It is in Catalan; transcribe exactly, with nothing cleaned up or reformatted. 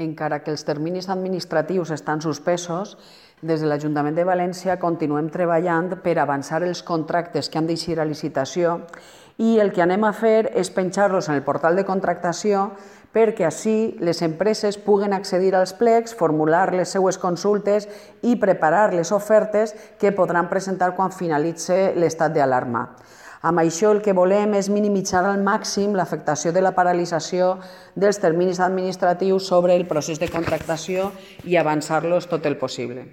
Encara que els terminis administratius estan suspesos, des de l'Ajuntament de València continuem treballant per avançar els contractes que han d'eixir a licitació i el que anem a fer és penjar-los en el portal de contractació perquè així les empreses puguen accedir als plecs, formular les seues consultes i preparar les ofertes que podran presentar quan finalitzi l'estat d'alarma. Amb això el que volem és minimitzar al màxim l'afectació de la paralització dels terminis administratius sobre el procés de contractació i avançar-los tot el possible.